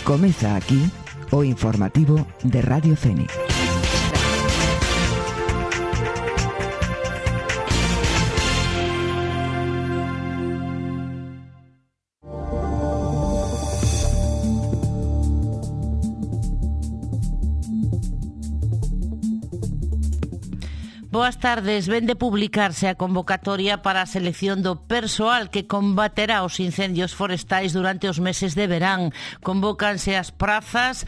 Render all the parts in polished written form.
Comeza aquí o informativo de Radio Fénix. Boas tardes. Ven de publicarse a convocatoria para a selección do persoal que combaterá os incendios forestais durante os meses de verán. Convócanse as prazas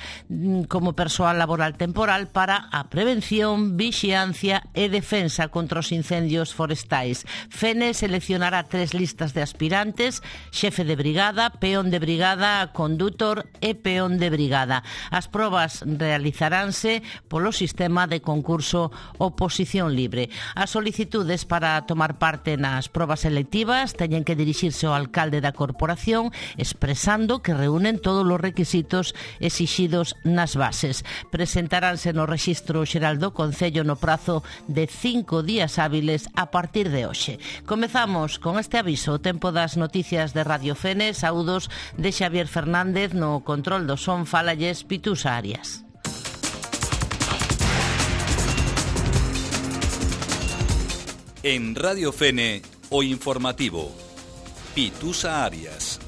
como persoal laboral temporal para a prevención, vixiancia e defensa contra os incendios forestais. Fene seleccionará 3 listas de aspirantes: xefe de brigada, peón de brigada, condutor e peón de brigada. As probas realizaránse polo sistema de concurso oposición libre. As solicitudes para tomar parte nas probas selectivas teñen que dirixirse ao alcalde da corporación expresando que reúnen todos os requisitos exixidos nas bases. Presentaránse no Rexistro Xeral do Concello no prazo de 5 días hábiles a partir de hoxe. Comezamos con este aviso, o tempo das noticias de Radio Fénix. Saúdos de Xavier Fernández, no control do son fálalles Pitusa Arias. En Radio Fene, o informativo. Pitusa Arias.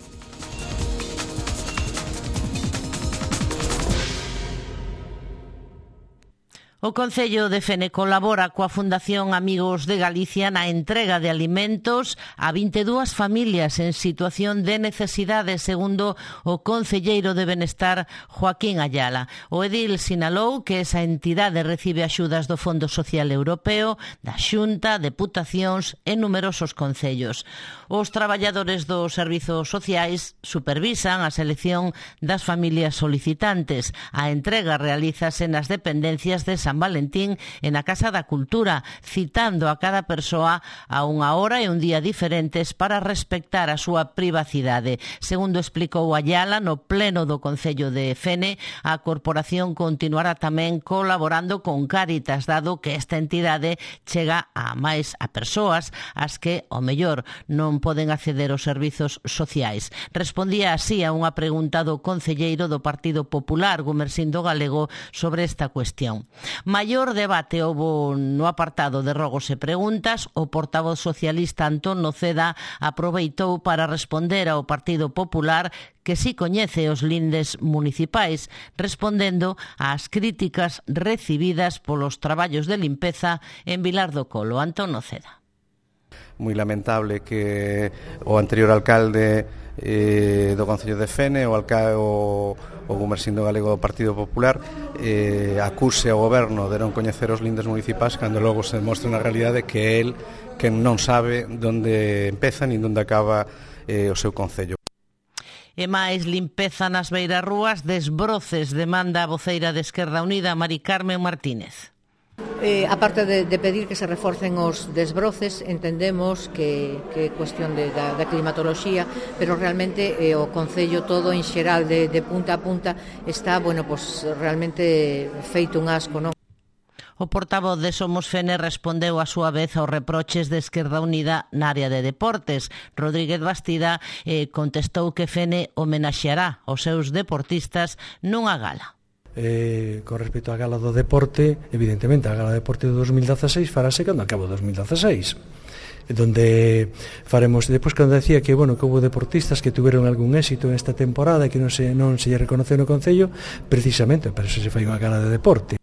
O Concello de Fene colabora coa Fundación Amigos de Galicia na entrega de alimentos a 22 familias en situación de necesidade, segundo o concelleiro de Benestar, Joaquín Ayala. O edil sinalou que esa entidade recibe axudas do Fondo Social Europeo, da Xunta, deputacións e numerosos concellos. Os traballadores dos servizos sociais supervisan a selección das familias solicitantes. A entrega realízase nas dependencias de San Valentín e na Casa da Cultura, citando a cada persoa a unha hora e un día diferentes para respectar a súa privacidade. Segundo explicou Ayala no pleno do Concello de Fene, a corporación continuará tamén colaborando con Cáritas, dado que esta entidade chega a máis a persoas as que, ao mellor, non poden acceder aos servizos sociais. Respondía así a unha pregunta do concelleiro do Partido Popular, Gumersindo Galego, sobre esta cuestión. Maior debate houbo no apartado de rogos e preguntas. O portavoz socialista Antón Noceda aproveitou para responder ao Partido Popular que si coñece os lindes municipais, respondendo ás críticas recibidas polos traballos de limpeza en Vilar do Colo. Antón Noceda. Moi lamentable que o anterior alcalde do Concello de Fene, o Gumersindo Galego do Partido Popular, acuse ao goberno de non coñecer os lindes municipais, cando logo se demostra na realidade que é el que non sabe onde empeza nin onde acaba o seu concello. E máis limpeza nas beirarrúas, desbroces, demanda a voceira de Esquerda Unida, Mari Carmen Martínez. A parte de pedir que se reforcen os desbroces, entendemos que é cuestión da climatoloxía, pero realmente o Concello todo en xeral de punta a punta está, realmente feito un asco, non? O portavoz de Somos Fene respondeu a súa vez aos reproches de Esquerda Unida na área de deportes. Rodríguez Bastida contestou que Fene homenaxeará os seus deportistas nunha gala. Con respecto á gala do deporte, evidentemente a gala do deporte do 2016 farase cando acabe o 2016, donde faremos, depois cando decía que houve deportistas que tuveron algún éxito esta temporada e que non se lle reconoceu no Concello, precisamente para eso se fai unha gala de deporte.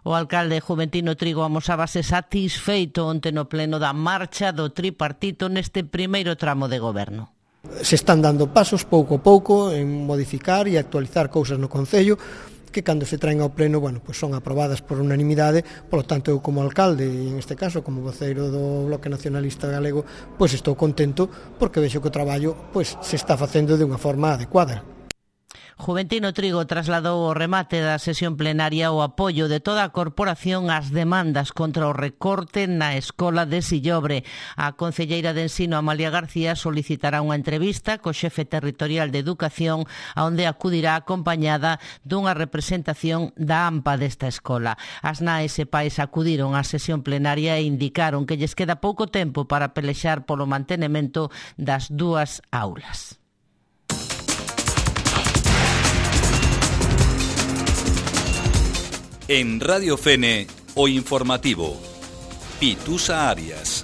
O alcalde Juventino Trigo amosábase satisfeito onte no pleno da marcha do tripartito neste primeiro tramo de goberno. Se están dando pasos pouco a pouco en modificar e actualizar cousas no Concello que cando se traen ao pleno, son aprobadas por unanimidade. Polo tanto, eu como alcalde e en este caso como voceiro do Bloque Nacionalista Galego, estou contento porque vexo que o traballo se está facendo de unha forma adecuada. Juventino Trigo trasladou ao remate da sesión plenaria o apoio de toda a corporación ás demandas contra o recorte na escola de Sillobre. A concelleira de Ensino, Amalia García, solicitará unha entrevista co xefe territorial de Educación, onde acudirá acompañada dunha representación da AMPA desta escola. As nais e pais acudiron á sesión plenaria e indicaron que lles queda pouco tempo para pelexar polo mantemento das dúas aulas. En Radio Fene, o informativo. Pitusa Arias.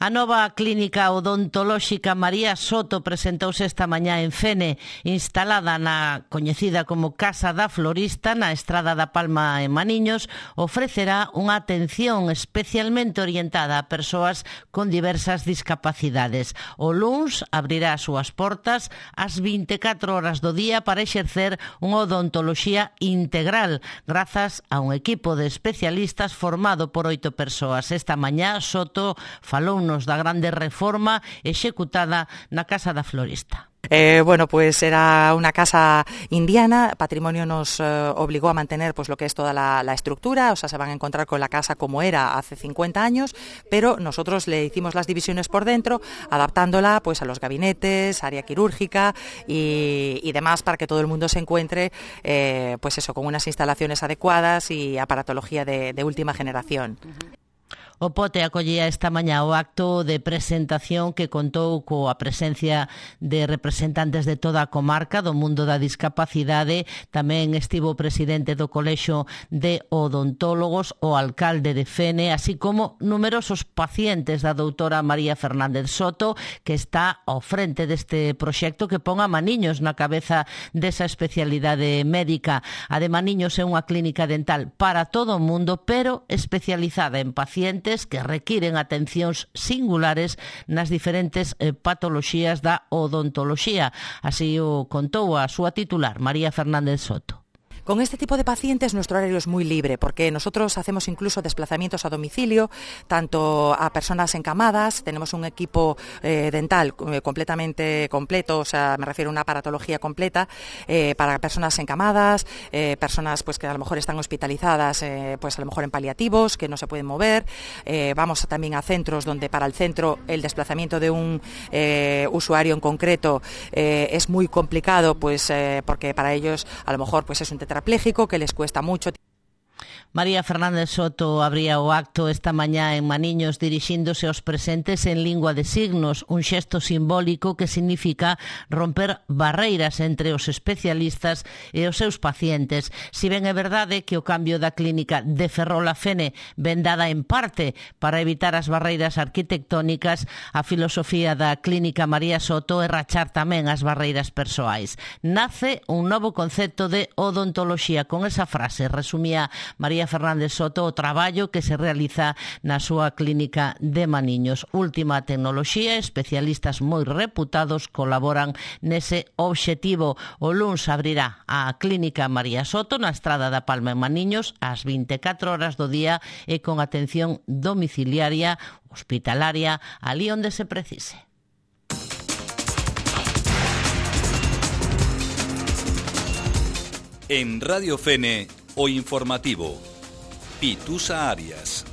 A nova clínica odontolóxica María Soto presentouse esta mañá en Fene, instalada na coñecida como Casa da Florista, na Estrada da Palma en Maniños. Ofrecerá unha atención especialmente orientada a persoas con diversas discapacidades. O luns abrirá as súas portas ás 24 horas do día para exercer unha odontoloxía integral, grazas a un equipo de especialistas formado por 8 persoas. Esta mañá Soto falou da grande reforma executada na Casa da Florista. Bueno, pues era una casa indiana. Patrimonio nos obligó a mantener pues lo que es toda la estructura, o sea, se van a encontrar con la casa como era hace 50 años, pero nosotros le hicimos las divisiones por dentro, adaptándola pues a los gabinetes, área quirúrgica y demás, para que todo el mundo se encuentre pues eso, con unas instalaciones adecuadas y aparatología de última generación. O Pote acollía esta mañá o acto de presentación que contou coa presencia de representantes de toda a comarca do mundo da discapacidade. Tamén estivo o presidente do Colexio de Odontólogos, o alcalde de Fene, así como numerosos pacientes da doutora María Fernández Soto, que está ao frente deste proxecto que pon a Maniños na cabeza desa especialidade médica. A de Maniños é unha clínica dental para todo o mundo, pero especializada en pacientes que requiren atencións singulares nas diferentes patoloxías da odontoloxía. Así o contou a súa titular, María Fernández Soto. Con este tipo de pacientes nuestro horario es muy libre, porque nosotros hacemos incluso desplazamientos a domicilio, tanto a personas encamadas. Tenemos un equipo dental completamente completo, o sea, me refiero a una aparatología completa para personas encamadas, personas pues que a lo mejor están hospitalizadas, pues a lo mejor en paliativos, que no se pueden mover. Vamos también a centros donde para el centro el desplazamiento de un usuario en concreto es muy complicado, pues porque para ellos a lo mejor pues es un tetrapléjico que les cuesta mucho. María Fernández Soto abría o acto esta mañá en Maniños dirixíndose aos presentes en lingua de signos, un xesto simbólico que significa romper barreiras entre os especialistas e os seus pacientes. Si ben é verdade que o cambio da clínica de Ferrol-a-Fene ven dada en parte para evitar as barreiras arquitectónicas, a filosofía da clínica María Soto é rachar tamén as barreiras persoais. Nace un novo concepto de odontoloxía. Con esa frase resumía María Fernández Soto o traballo que se realiza na súa clínica de Maniños. Última tecnoloxía, especialistas moi reputados colaboran nese obxectivo. O luns abrirá a clínica María Soto na Estrada da Palma en Maniños ás 24 horas do día e con atención domiciliaria, hospitalaria, ali onde se precise. En Radio Fene, o informativo. Pitusa Arias.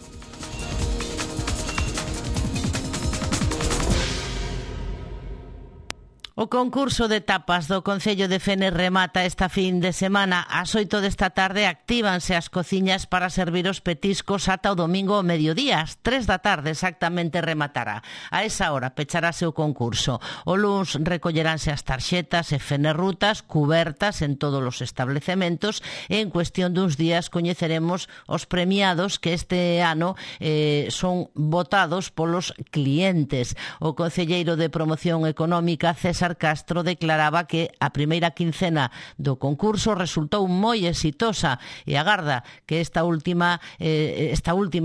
O concurso de tapas do Concello de Fene remata esta fin de semana. Ás 8 desta tarde actívanse as cociñas para servir os petiscos ata o domingo ao mediodía. Ás 3 da tarde exactamente rematará. A esa hora pecharase o concurso. O luns recolleránse as tarxetas e fenerrutas cubertas en todos os establecementos e en cuestión duns días coñeceremos os premiados que este ano son votados polos clientes. O concelleiro de Promoción Económica, César Castro, declaraba que a primeira quincena do concurso resultou moi exitosa e agarda que esta última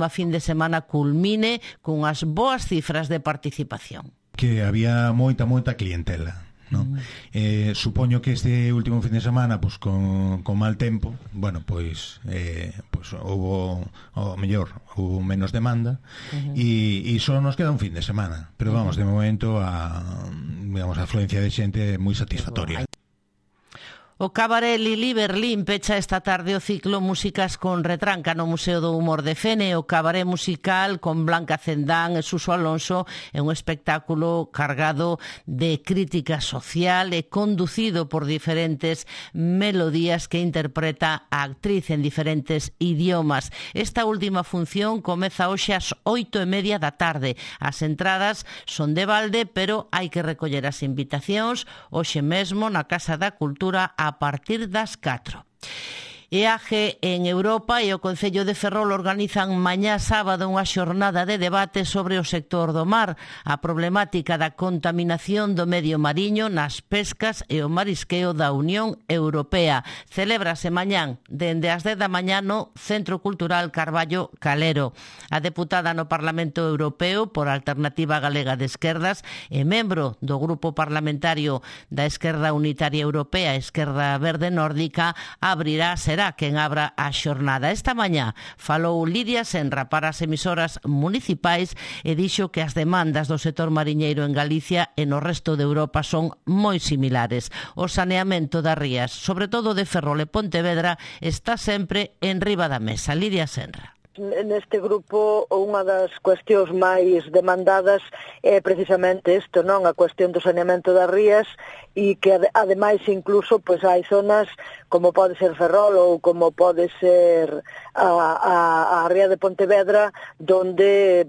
fin de semana culmine cunhas boas cifras de participación. Que había moita clientela, ¿no? Supoño que este último fin de semana pues con mal tempo, bueno, pues houve o mellor houve menos demanda e só nos queda un fin de semana, pero vamos, de momento a afluencia de xente moi satisfactoria. O Cabaret Lili Berlín pecha esta tarde o ciclo Músicas con Retranca no Museo do Humor de Fene. O cabaret musical con Blanca Cendán e Suso Alonso é un espectáculo cargado de crítica social e conducido por diferentes melodías que interpreta a actriz en diferentes idiomas. Esta última función comeza hoxe ás 8:30 da tarde. As entradas son de balde, pero hai que recoller as invitacións hoxe mesmo na Casa da Cultura a partir das 4. EAG en Europa e o Concello de Ferrol organizan mañá sábado unha xornada de debate sobre o sector do mar, a problemática da contaminación do medio mariño nas pescas e o marisqueo da Unión Europea. Celébrase mañán dende as 10 da mañá no Centro Cultural Carballo Calero. A deputada no Parlamento Europeo por Alternativa Galega de Esquerdas e membro do Grupo Parlamentario da Esquerda Unitaria Europea, Esquerda Verde Nórdica, será quen abra a xornada. Esta mañá falou Lidia Senra para as emisoras municipais e dixo que as demandas do sector mariñeiro en Galicia e no resto de Europa son moi similares. O saneamento das rías, sobre todo de Ferrol e Pontevedra, está sempre en riba da mesa. Lidia Senra. Neste grupo unha das cuestións máis demandadas é precisamente isto, non? A cuestión do saneamento das rías e que ademais incluso pois hai zonas como pode ser Ferrol ou como pode ser a ría de Pontevedra donde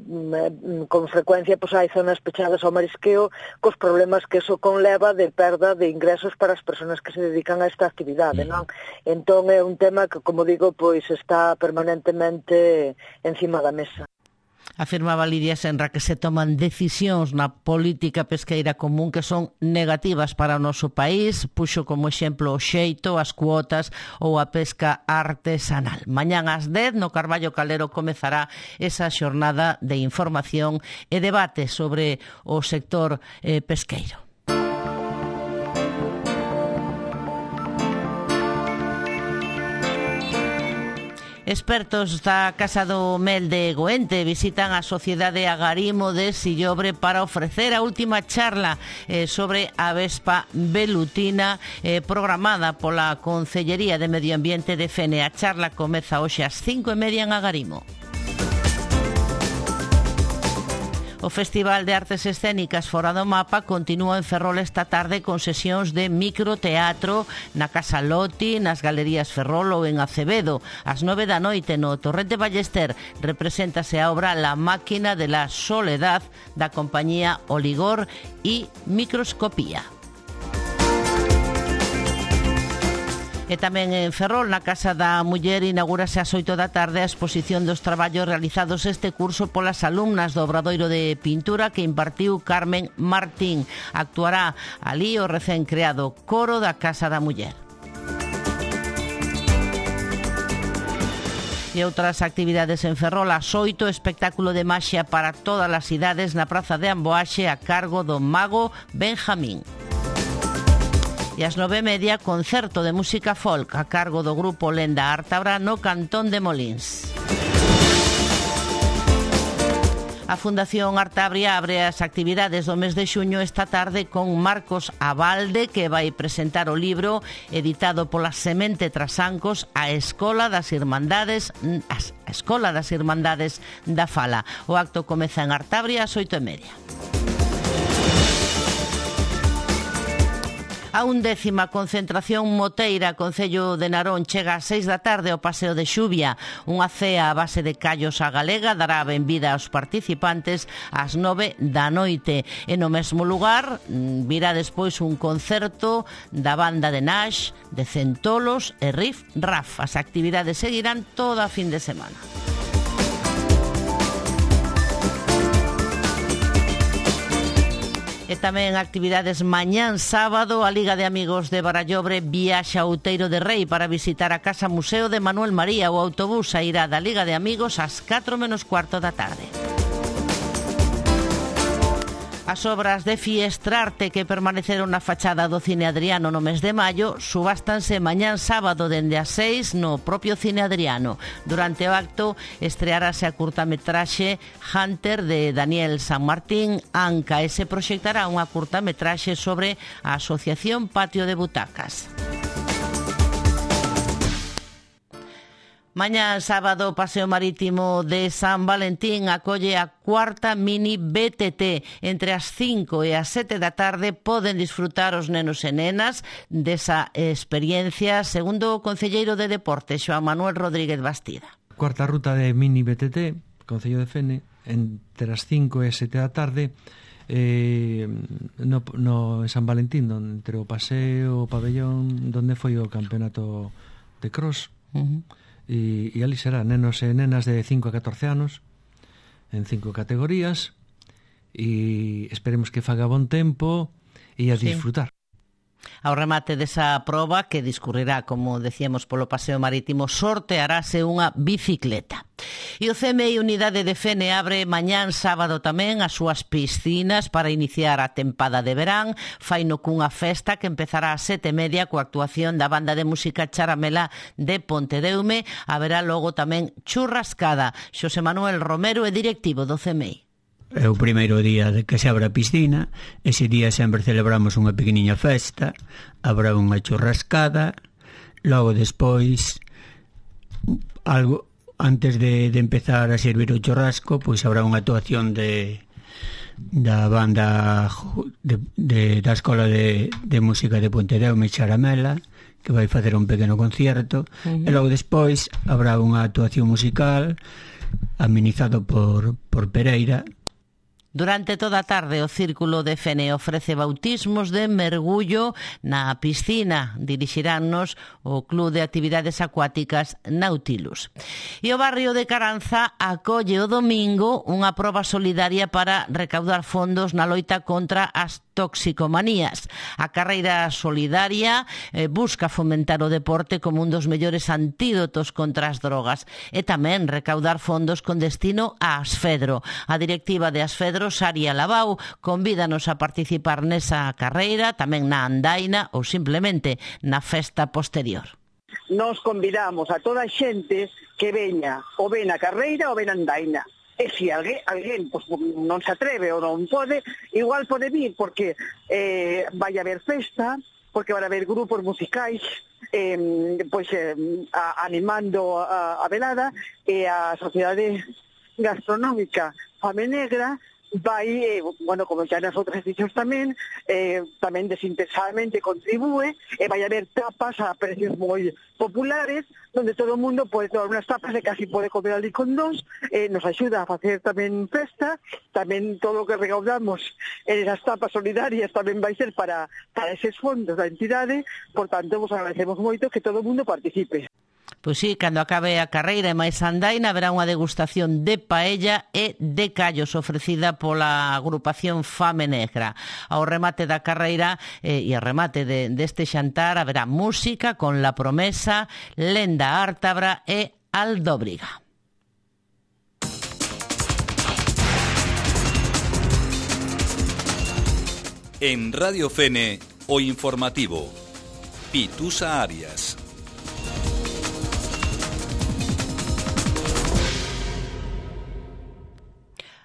con frecuencia pois hai zonas pechadas ao marisqueo cos problemas que eso conleva de perda de ingresos para as persoas que se dedican a esta actividade, non? Entón é un tema que, como digo, pois está permanentemente encima da mesa. Afirmaba Lidia Senra que se toman decisións na política pesqueira común que son negativas para o noso país. Puxo como exemplo o xeito, as cuotas ou a pesca artesanal. Mañán ás 10 no Carballo Calero comezará esa xornada de información e debate sobre o sector pesqueiro. Expertos da Casa do Mel de Goente visitan a Sociedade Agarimo de Sillobre para ofrecer a última charla sobre a vespa velutina programada pola Concellería de Medio Ambiente de Fene. A charla comeza hoxe ás 5:30 en Agarimo. O Festival de Artes Escénicas Fora do Mapa continúa en Ferrol esta tarde con sesións de microteatro na Casa Loti, nas Galerías Ferrol ou en Acevedo. Ás 9 da noite no Torrente Ballester represéntase a obra La máquina de la soledad da compañía Oligor e Microscopía. E tamén en Ferrol, na Casa da Muller, inaugúrase ás 8 da tarde a exposición dos traballos realizados este curso polas alumnas do Obradoiro de Pintura que impartiu Carmen Martín. Actuará ali o recén creado coro da Casa da Muller. E outras actividades en Ferrol, ás 8, espectáculo de maxia para todas as idades na Praza de Amboaxe a cargo do mago Benjamín. E ás 9:30, concerto de música folk a cargo do grupo Lenda Artabra no Cantón de Molins. A Fundación Artabria abre as actividades do mes de xuño esta tarde con Marcos Abalde, que vai presentar o libro editado pola Semente Trasancos, a Escola das Irmandades da Fala. O acto comeza en Artabria ás 8:30. A 11ª concentración moteira Concello de Narón chega ás 6 da tarde ao Paseo de Xubia. Unha cea a base de callos á galega dará a benvida aos participantes ás 9 da noite. E no mesmo lugar virá despois un concerto da banda de Nash, de Centolos e Riff Raff. As actividades seguirán toda a fin de semana. E tamén actividades mañán sábado. A Liga de Amigos de Barallobre viaxa a Outeiro de Rei para visitar a Casa Museo de Manuel María. O autobús sairá da Liga de Amigos ás 4:15 da tarde. As obras de Fiestrarte que permaneceron na fachada do Cine Adriano no mes de maio subástanse mañán sábado dende as 6 no propio Cine Adriano. Durante o acto estrearase a curtametraxe Hunter de Daniel San Martín Anca e se proxectará unha curtametraxe sobre a Asociación Patio de Butacas. Mañá sábado o Paseo Marítimo de San Valentín acolle a cuarta mini BTT. Entre as 5 e as 7 da tarde poden disfrutar os nenos e nenas desa experiencia, segundo o concelleiro de Deportes, Xoán Manuel Rodríguez Bastida. Cuarta ruta de mini BTT, Concello de Fene, entre as 5 e as 7 da tarde, no San Valentín, entre o paseo, o pabellón, donde foi o campeonato de cross. E ali será nenos e nenas de 5 a 14 anos en 5 categorías, e esperemos que faga bon tempo e a disfrutar. Ao remate desa proba, que discurrirá, como decíamos, polo Paseo Marítimo, sortearase unha bicicleta. E o CMI Unidade de Fene abre mañán sábado tamén as súas piscinas para iniciar a tempada de verán. Faino cunha festa que empezará ás 7:30 coa actuación da banda de música Charamela de Pontedeume. Haberá logo tamén churrascada. Xosé Manuel Romero é directivo do CMI. É o primeiro día de que se abre a piscina. Ese día sempre celebramos unha pequeniña festa, habrá unha churrascada, logo despois, algo antes de empezar a servir o churrasco, pois habrá unha actuación da banda da Escola de Música de Pontedeume, Charamela, que vai facer un pequeno concierto, e logo despois habrá unha actuación musical amenizado por Pereira. Durante toda a tarde o Círculo de Fene ofrece bautismos de mergullo na piscina. Dirixiránnos o Club de Actividades Acuáticas Nautilus. E o barrio de Caranza acolle o domingo unha proba solidaria para recaudar fondos na loita contra as toxicomanías. A carreira solidaria busca fomentar o deporte como un dos mellores antídotos contra as drogas e tamén recaudar fondos con destino a Asfedro. A directiva de Asfedro, Saria Labau, convídanos a participar nesa carreira, tamén na andaina ou simplemente na festa posterior. Nos convidamos a toda a xente que veña ou ven a carreira ou ven a andaina. E se alguén pues, non se atreve ou non pode, igual pode vir, porque vai haber festa, porque vai haber grupos musicais animando a velada, e a Sociedade Gastronómica Fame Negra vai, como xa nas outras edicións tamén desinteresadamente contribúe, e vai haber tapas a precios moi populares, donde todo o mundo pode tomar unhas tapas e casi pode comer ali con dos. Nos axuda a facer tamén festa, tamén todo o que recaudamos en esas tapas solidarias tamén vai ser para eses fondos da entidade. Por tanto, vos agradecemos moito que todo o mundo participe. Pois sí, cando acabe a carreira e máis andaina haberá unha degustación de paella e de callos ofrecida pola agrupación Fame Negra. Ao remate da carreira e ao remate deste xantar haberá música con La Promesa, Lenda Ártabra e Aldóbriga. En Radio Fene, o informativo. Pitusa Arias.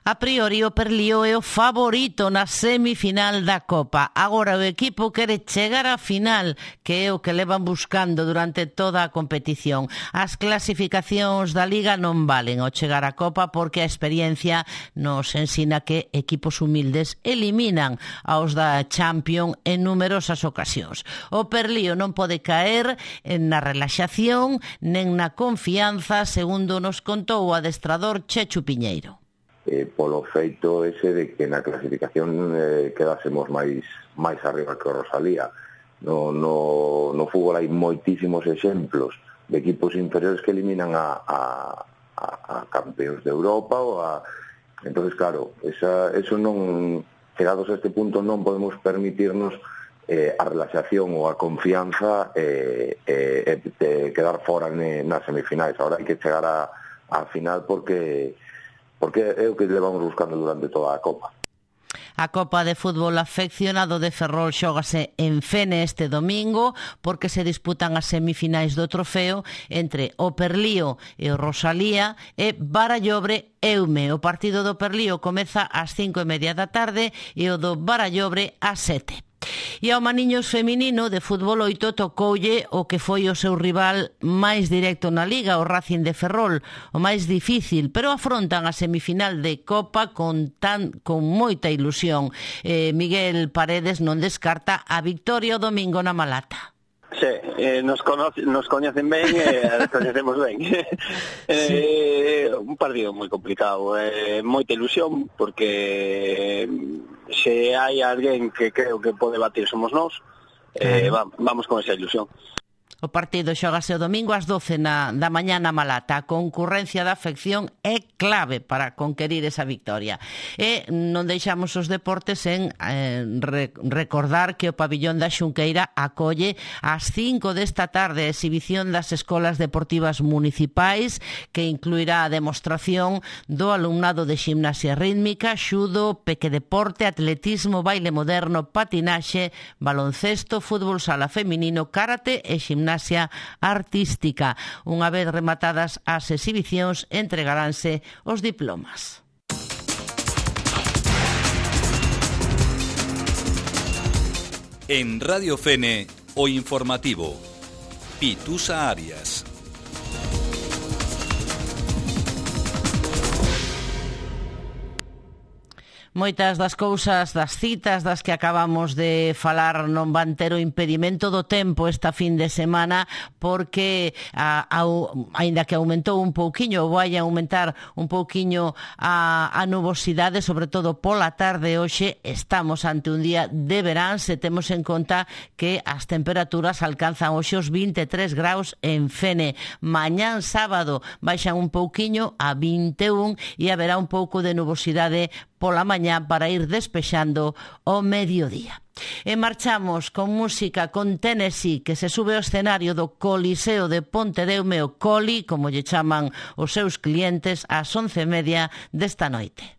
A priori o Perlío é o favorito na semifinal da Copa. Agora o equipo quere chegar á final, que é o que levan buscando durante toda a competición. As clasificacións da Liga non valen ao chegar á Copa, porque a experiencia nos ensina que equipos humildes eliminan aos da Champions en numerosas ocasións. O Perlío non pode caer na relaxación nen na confianza, segundo nos contou o adestrador Chechu Piñeiro. Polo feito ese de que na clasificación quedásemos máis arriba que o Rosalía. No fútbol hai moitísimos exemplos de equipos inferiores que eliminan a campeóns de Europa entonces claro, eso non, chegados a este punto, non podemos permitirnos a relaxación ou a confianza de quedar fora nas semifinais. Agora hai que chegar á final porque é o que levamos buscando durante toda a Copa. A Copa de Fútbol Afeccionado de Ferrol xógase en Fene este domingo, porque se disputan as semifinais do trofeo entre o Perlío e o Rosalía e Barallobre Eume. O partido do Perlío comeza ás 5:30 da tarde e o do Barallobre ás 7. E ao Maniños feminino de fútbol 8 tocoulle o que foi o seu rival máis directo na Liga, o Racing de Ferrol, o máis difícil, pero afrontan a semifinal de Copa con moita ilusión. Miguel Paredes non descarta a victoria o domingo na Malata. Sí, nos coñecen ben e coñecemos ben. Sí. Un partido moi complicado, moita ilusión, porque se hai alguén que creo que pode batir somos nós, vamos con esa ilusión. O partido xógase o domingo ás 12 da mañá na Malata. A concurrencia da afección é clave para conquerir esa victoria. E non deixamos os deportes en recordar que o pabillón da Xunqueira acolle ás 5 desta tarde a exhibición das escolas deportivas municipais, que incluirá a demostración do alumnado de gimnasia rítmica, xudo, pequedeporte, atletismo, baile moderno, patinaxe, baloncesto, fútbol sala feminino, karate e gimnasia artística. Unha vez rematadas as exhibicións, entregaránse os diplomas. En Radio Fene, o informativo. Pitusa Arias. Moitas das cousas, das citas das que acabamos de falar non van ter o impedimento do tempo esta fin de semana, porque aínda que aumentou un pouquiño, vai aumentar un pouquiño a nubosidade, sobre todo pola tarde hoxe, estamos ante un día de verán, se temos en conta que as temperaturas alcanzan hoxe os 23 graus en Fene. Mañán sábado baixan un pouquiño a 21 e haberá un pouco de nubosidade pola mañá para ir despexando o mediodía. E marchamos con música con Tennessee, que se sube ao escenario do Coliseo de Pontedeume, o Coli, como lle chaman os seus clientes, ás 11:30 desta noite.